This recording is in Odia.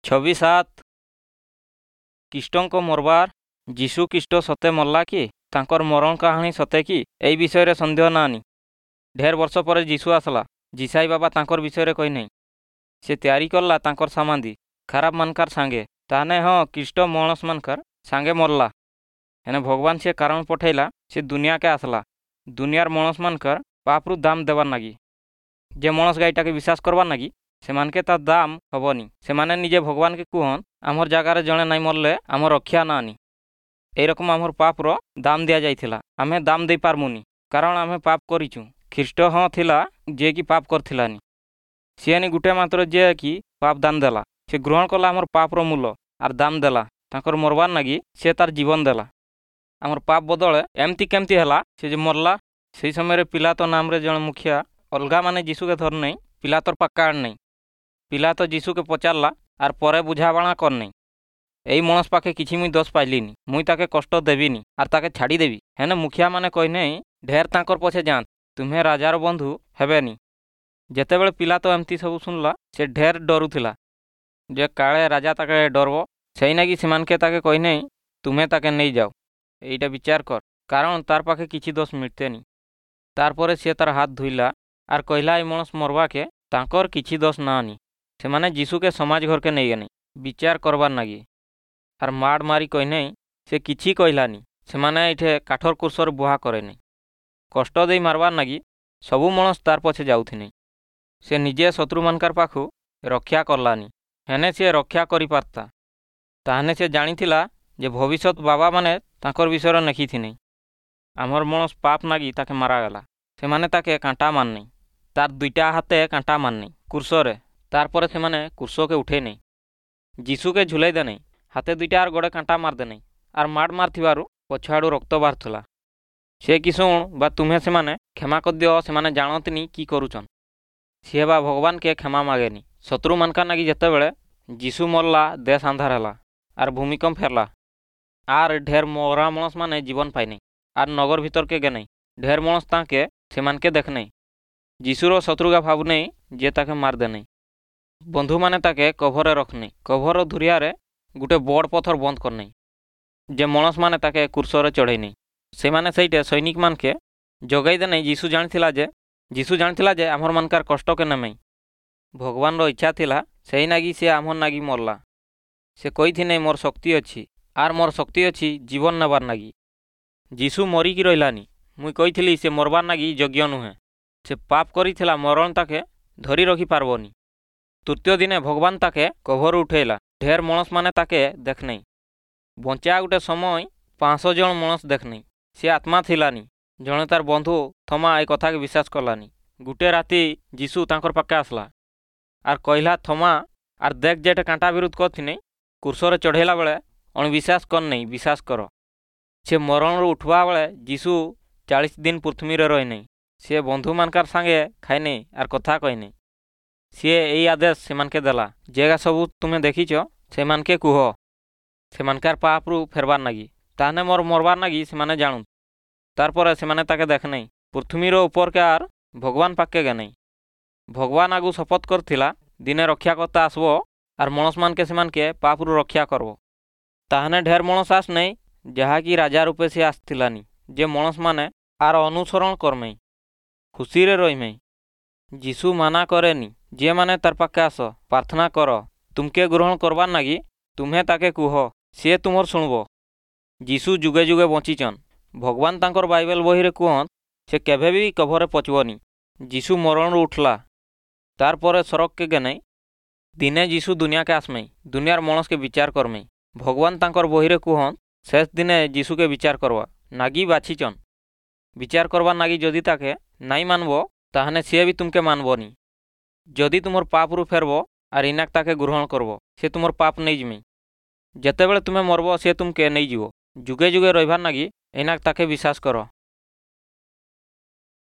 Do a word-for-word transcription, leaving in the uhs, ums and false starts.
ଛବି ସାତ ଖ୍ରୀଷ୍ଟଙ୍କ ମରବାର ଯୀଶୁ ଖ୍ରୀଷ୍ଟ ସତେ ମଲା କି ତାଙ୍କର ମରଣ କାହାଣୀ ସତେ କି ଏଇ ବିଷୟରେ ସନ୍ଦେହ ନାନି ଢେର ବର୍ଷ ପରେ ଯୀଶୁ ଆସିଲା ଯିଶାଇ ବାବା ତାଙ୍କର ବିଷୟରେ କହିନାହିଁ ସେ ତିଆରି କଲା ତାଙ୍କର ସାମାନ୍ଦି ଖରାପ ମାନକାର ସାଙ୍ଗେ ତାହେଲେ ହଁ ଖ୍ରୀଷ୍ଟ ମଣସ ମାନକାର ସାଙ୍ଗେ ମରଲା ହେନେ ଭଗବାନ ସେ କାରଣ ପଠେଇଲା ସେ ଦୁନିଆକେ ଆସିଲା ଦୁନିଆର ମଣସ ମାନକାର ପାପରୁ ଦାମ ଦେବାର ନାଗି ଯେ ମଣସ ଗାଈଟାକେ ବିଶ୍ୱାସ କରବାର ନାଗି ସେମାନକେ ତା ଦାମ ହବନି ସେମାନେ ନିଜେ ଭଗବାନକେ କୁହନ୍ ଆମର ଜାଗାରେ ଜଣେ ନାଇଁ ମରଲେ ଆମର ରକ୍ଷା ନାନି ଏଇରକମ ଆମର ପାପର ଦାମ ଦିଆଯାଇଥିଲା ଆମେ ଦାମ ଦେଇପାରମୁନି କାରଣ ଆମେ ପାପ କରିଛୁ ଖ୍ରୀଷ୍ଟ ହଁ ଥିଲା ଯିଏକି ପାପ କରିଥିଲାନି ସିଏ ନି ଗୁଟେ ମାତ୍ର ଯିଏକି ପାପ ଦାନ ଦେଲା ସେ ଗ୍ରହଣ କଲା ଆମର ପାପର ମୂଲ ଆର୍ ଦାମ ଦେଲା ତାଙ୍କର ମରବାର ନାଗି ସେ ତାର ଜୀବନ ଦେଲା ଆମର ପାପ ବଦଳେ ଏମିତି କେମିତି ହେଲା ସେ ଯେ ମରଲା ସେଇ ସମୟରେ ପିଲାତ ନାମରେ ଜଣେ ମୁଖିଆ ଅଲଗା ମାନେ ଯୀଶୁକେ ଧରନେଇ ପିଲାତର ପାକ୍କା ଆଣନେଇ ପିଲାତ ଯୀଶୁକେ ପଚାରଲା ଆର୍ ପରେ ବୁଝାବଣା କରନେଇ ଏଇ ମଣସ ପାଖେ କିଛି ମୁଇଁ ଦୋଷ ପାଇଲିନି ମୁଇଁ ତାକେ କଷ୍ଟ ଦେବିନି ଆର୍ ତାକେ ଛାଡ଼ିଦେବି ହେନେ ମୁଖିଆମାନେ କହିନେଇ ଢେର ତାଙ୍କର ପଛେ ଯାଆନ୍ତ ତୁମେ ରାଜାର ବନ୍ଧୁ ହେବେନି ଯେତେବେଳେ ପିଲାତ ଏମିତି ସବୁ ଶୁଣିଲା ସେ ଢେର ଡରୁଥିଲା ଯେ କାଳେ ରାଜା ତାକେ ଡରବ ସେଇନାଗି ସେମାନକେ ତାକେ କହିନେଇ ତୁମେ ତାକେ ନେଇଯାଅ ଏଇଟା ବିଚାର କର କାରଣ ତାର ପାଖେ କିଛି ଦୋଷ ମିଳତେନି ତାରପରେ ସିଏ ତାର ହାତ ଧୋଇଲା ଆର୍ କହିଲା ଏଇ ମଣସ ମରବାକେ ତାଙ୍କର କିଛି ଦୋଷ ନାନି ସେମାନେ ଯୀଶୁକେ ସମାଜ ଘରକେ ନେଇଗଲେ ବିଚାର କରବାର ନାଗି ଆର୍ ମାଡ଼ ମାରି କହିନେଇ ସେ କିଛି କହିଲାନି ସେମାନେ ଏଇଠେ କାଠର କୁର୍ସରେ ବୁହା କରେନି କଷ୍ଟ ଦେଇ ମାରବାର ନାଗି ସବୁ ମଣସ ତାର ପଛେ ଯାଉଥିନି ସେ ନିଜେ ଶତ୍ରୁମାନଙ୍କର ପାଖୁ ରକ୍ଷା କଲାନି ହେନେ ସିଏ ରକ୍ଷା କରିପାରତା ତାହେନେ ସେ ଜାଣିଥିଲା ଯେ ଭବିଷ୍ୟତ ବାବାମାନେ ତାଙ୍କର ବିଷୟରେ ଲେଖିଥିନେ ଆମର ମଣସ ପାପ ନାଗି ତାକେ ମାରାଗଲା ସେମାନେ ତାକେ କାଣ୍ଟା ମାରନେଇ ତାର ଦୁଇଟା ହାତେ କାଣ୍ଟା ମାରନେଇ କୁର୍ସରେ ତାରପରେ ସେମାନେ କୁର୍ସକେ ଉଠେଇ ନେଇ ଯୀଶୁକେ ଝୁଲେଇ ଦେନେଇ ହାତେ ଦୁଇଟା ଆର୍ ଗୋଡ଼େ କାଣ୍ଟା ମାରିଦେନେଇ ଆର୍ ମାଡ଼ ମାରିଥିବାରୁ ପଛଆଡ଼ୁ ରକ୍ତ ବାହାରୁଥିଲା ସେ କି ଶୁଣ ବା ତୁମେ ସେମାନେ କ୍ଷମା କରିଦିଅ ସେମାନେ ଜାଣନ୍ତିନି କି କରୁଛନ୍ ସିଏ ବା ଭଗବାନକେ କ୍ଷମା ମାଗେନି ଶତ୍ରୁମାନଙ୍କର ନାଗି ଯେତେବେଳେ ଯୀଶୁ ମରଲା ଦେଶ ଅନ୍ଧାର ହେଲା ଆର୍ ଭୂମିକମ୍ପ ହେଲା ଆର୍ ଢେର ମରା ମଣସ ମାନେ ଜୀବନ ପାଇନେଇ ଆର୍ ନଗର ଭିତରକେ ଗେନେଇ ଢେର ମଣସ ତାଙ୍କେ ସେମାନକେ ଦେଖନେଇ ଯୀଶୁର ଶତ୍ରୁଗା ଭାବୁନେଇ ଯେ ତାକେ ମାରିଦେନେଇ ବନ୍ଧୁମାନେ ତାକେ କଭରରେ ରଖନେଇ କଭର ଧୁରିଆରେ ଗୁଟେ ବଡ଼ ପଥର ବନ୍ଦ କରନେଇ ଯେ ମଣସମାନେ ତାକେ କୁର୍ସରେ ଚଢ଼େଇନେଇ ସେମାନେ ସେଇଟେ ସୈନିକମାନକେ ଯୋଗାଇ ଦେନେଇ ଯୀଶୁ ଜାଣିଥିଲା ଯେ ଯୀଶୁ ଜାଣିଥିଲା ଯେ ଆମର ମାନକାର କଷ୍ଟକେ ନେମେଇ ଭଗବାନର ଇଚ୍ଛା ଥିଲା ସେଇ ନାଗି ସେ ଆମର ନାଗି ମରଲା ସେ କହିଥିନେ ମୋର ଶକ୍ତି ଅଛି ଆର୍ ମୋର ଶକ୍ତି ଅଛି ଜୀବନ ନେବାର ନାଗି ଯୀଶୁ ମରିକି ରହିଲାନି ମୁଇଁ କହିଥିଲି ସେ ମରବାର ନାଗି ଯୋଗ୍ୟ ନୁହେଁ ସେ ପାପ କରିଥିଲା ମରଣ ତାକେ ଧରି ରଖିପାରବନି ତୃତୀୟ ଦିନେ ଭଗବାନ ତାକେ କଭରୁ ଉଠେଇଲା ଢେର ମଣସମାନେ ତାକେ ଦେଖନେଇ ବଞ୍ଚା ଗୋଟେ ସମୟ ପାଞ୍ଚଶହ ଜଣ ମଣସ ଦେଖନେଇ ସେ ଆତ୍ମା ଥିଲାନି ଜଣେ ତାର ବନ୍ଧୁ ଥମା ଏ କଥାକେ ବିଶ୍ୱାସ କଲାନି ଗୁଟେ ରାତି ଯୀଶୁ ତାଙ୍କର ପାଖେ ଆସିଲା ଆର୍ କହିଲା ଥମା ଆର୍ ଦେଖ ଯେଟେ କାଣ୍ଟା ବିରୁଦ୍ଧ କରିଥିନି କୁର୍ସରେ ଚଢ଼େଇଲା ବେଳେ ଅଣବିଶ୍ୱାସ କରନେଇ ବିଶ୍ୱାସ କର ସେ ମରଣରୁ ଉଠବା ବେଳେ ଯୀଶୁ ଚାଳିଶ ଦିନ ପୃଥିବୀରେ ରହିନେଇ ସେ ବନ୍ଧୁମାନଙ୍କର ସାଙ୍ଗେ ଖାଇନେଇ ଆର୍ କଥା କହିନେଇ ସିଏ ଏଇ ଆଦେଶ ସେମାନକେ ଦେଲା ଯେଗା ସବୁ ତୁମେ ଦେଖିଛ ସେମାନକେ କୁହ ସେମାନକାର ପାପରୁ ଫେରବାର ନାଗି ତାହେନେ ମୋର ମରବାର ନାଗି ସେମାନେ ଜାଣୁ ତାରପରେ ସେମାନେ ତାକେ ଦେଖନେଇ ପୃଥିବୀର ଉପରକେ ଆର୍ ଭଗବାନ ପାଖକେ ଗେନେଇ ଭଗବାନ ଆଗୁ ଶପଥ କରିଥିଲା ଦିନେ ରକ୍ଷାକର୍ତ୍ତା ଆସିବ ଆର୍ ମଣସମାନକେ ସେମାନକେ ପାପରୁ ରକ୍ଷା କରବ ତାହେନେ ଢେର ମଣସ ଆସନେଇ ଯାହାକି ରାଜା ରୂପେ ସେ ଆସିଥିଲାନି ଯେ ମଣସମାନେ ଆର୍ ଅନୁସରଣ କରମେଇ ଖୁସିରେ ରହିମେଇ ଯୀଶୁ ମାନା କରେନି ଯିଏମାନେ ତାର ପାଖେ ଆସ ପ୍ରାର୍ଥନା କର ତୁମକେ ଗ୍ରହଣ କରବାର ନାଗି ତୁମେ ତାକେ କୁହ ସିଏ ତୁମର ଶୁଣବ ଯୀଶୁ ଯୁଗେ ଯୁଗେ ବଞ୍ଚିଛନ୍ ଭଗବାନ ତାଙ୍କର ବାଇବେଲ ବହିରେ କୁହନ୍ ସେ କେବେ ବି କଭରେ ପଚବନି ଯୀଶୁ ମରଣରୁ ଉଠଲା ତାରପରେ ସଡ଼କକେ ଗେନେଇ ଦିନେ ଯୀଶୁ ଦୁନିଆକେ ଆସମେଇ ଦୁନିଆର ମଣସକେ ବିଚାର କରମେଇ ଭଗବାନ ତାଙ୍କର ବହିରେ କୁହନ୍ ଶେଷ ଦିନେ ଯୀଶୁକେ ବିଚାର କରବା ନାଗି ବାଛିଛନ୍ ବିଚାର କରବାର ନାଗି ଯଦି ତାକେ ନାଇଁ ମାନବ ତାହେନେ ସିଏ ବି ତୁମକେ ମାନବନି ଯଦି ତୁମର ପାପରୁ ଫେରବ ଆର୍ ଇନାକ ତାକେ ଗ୍ରହଣ କରବ ସେ ତୁମର ପାପ ନେଇଯିମି ଯେତେବେଳେ ତୁମେ ମରବ ସେ ତୁମକେ ନେଇଯିବ ଯୁଗେ ଯୁଗେ ରହିବାର ନାଗି ଏଇନାକ ତାକେ ବିଶ୍ୱାସ କର।